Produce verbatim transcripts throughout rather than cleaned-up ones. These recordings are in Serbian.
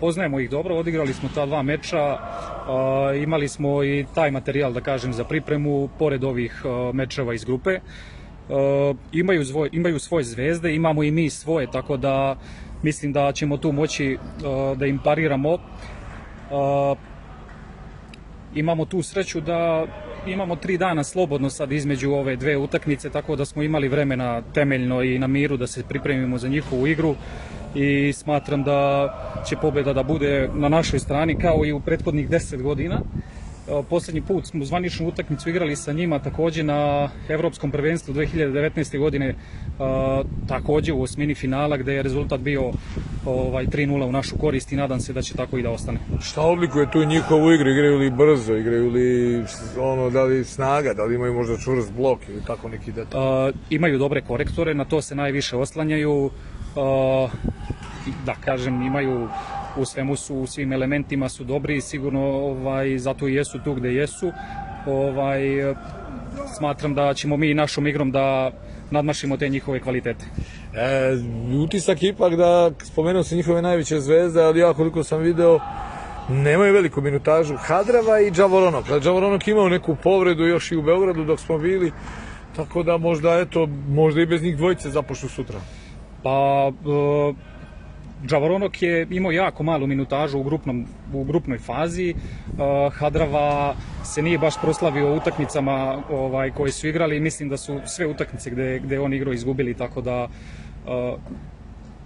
Poznajemo ih dobro, odigrali smo ta dva meča, imali smo i taj materijal, da kažem, za pripremu, pored ovih mečeva iz grupe. Imaju, zvoj, imaju svoje zvezde, imamo i mi svoje, tako da mislim da ćemo tu moći da im pariramo. Imamo tu sreću da imamo tri dana slobodno sad između ove dve utakmice, tako da smo imali vremena temeljno i na miru da se pripremimo za njihovu igru i smatram da će pobjeda da bude na našoj strani kao i u prethodnih deset godina. Poslednji put smo zvaničnu utakmicu igrali sa njima takođe na Evropskom prvenstvu dve hiljade devetnaeste. godine, takođe u osmini finala, gde je rezultat bio tri nula u našu korist i nadam se da će tako i da ostane. Šta odlikuje tu njihovu igru? Igraju li brzo, igraju li ono, da li snaga, da li imaju možda čvrst blok ili tako neki detalj? Imaju dobre korektore, na to se najviše oslanjaju. Da kažem, imaju u svemu su, u svim elementima su dobri i sigurno ovaj, zato i jesu tu gde jesu. Ovaj, smatram da ćemo mi našom igrom da nadmašimo te njihove kvalitete. E, utisak ipak da, spomenuo sam njihove najveće zvezde, ali ja koliko sam video, nemaju veliku minutažu. Hadrava i Džavoronok. Džavoronok imao neku povredu još i u Beogradu dok smo bili, tako da možda, eto, možda i bez njih dvojice započnu sutra. Pa, e, Džavoronok je imao jako malu minutažu u, grupnom, u grupnoj fazi. Uh, Hadrava se nije baš proslavio utakmicama ovaj, koje su igrali i mislim da su sve utakmice gde, gde on igrao izgubili, tako da uh,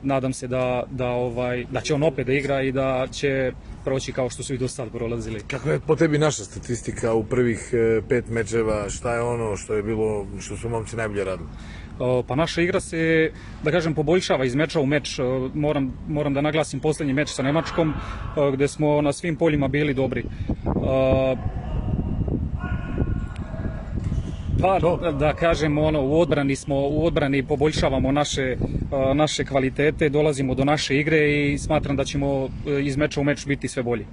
nadam se da, da, ovaj, da će on opet da igra i da će proći kao što su i do sad prolazili. Kako je po tebi naša statistika u prvih pet mečeva? Šta je ono što je bilo, što su momci najbolje radili? Pa naša igra se, da kažem, poboljšava iz meča u meč. Moram, moram da naglasim poslednji meč sa Nemačkom, gde smo na svim poljima bili dobri. Pa, da kažem, ono, u odbrani smo, u odbrani poboljšavamo naše, naše kvalitete, dolazimo do naše igre i smatram da ćemo iz meča u meč biti sve bolji.